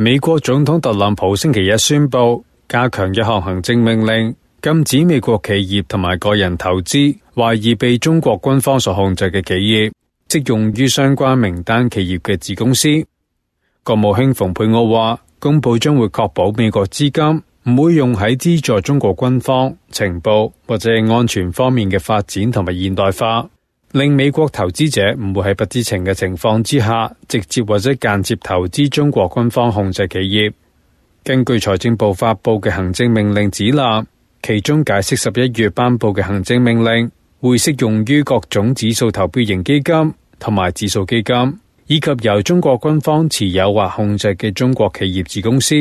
美國總統特朗普星期一宣布加強一項行政命令，禁止美國企業同埋個人投資懷疑被中國軍方所控制嘅企業，適用於相關名單企業嘅子公司。國務卿蓬佩奧話，公布將會確保美國資金唔會用喺資助中國軍方、情報或者安全方面嘅發展同埋現代化，令美國投資者唔會喺不知情嘅情況之下，直接或者間接投資中國軍方控制企業。根據財政部發佈嘅行政命令指南，其中解釋11月頒布嘅行政命令會適用於各種指數投標型基金同埋指數基金，以及由中國軍方持有或控制嘅中國企業子公司。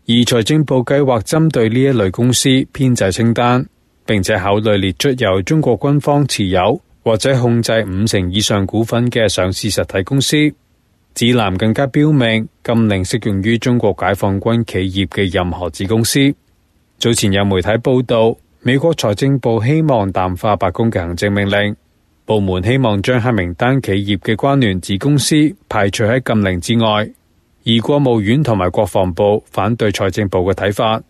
而財政部計劃針對呢一類公司編製清單，並且考慮列出由中國軍方持有或者控制50%以上股份嘅上市實體公司。指南更加標明禁令適用於中國解放軍企業嘅任何子公司。早前有媒體報道，美國財政部希望淡化白宮嘅行政命令，部門希望將黑名單企業嘅關聯子公司排除喺禁令之外，而國務院同埋國防部反對財政部嘅睇法。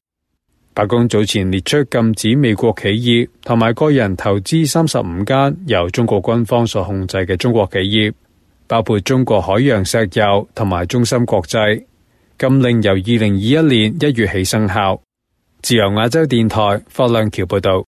白宮早前列出禁止美國企業同埋個人投資35間由中國軍方所控制嘅中國企業，包括中國海洋石油同埋中芯國際。禁令由2021年1月起生效。自由亞洲電台霍亮橋報道。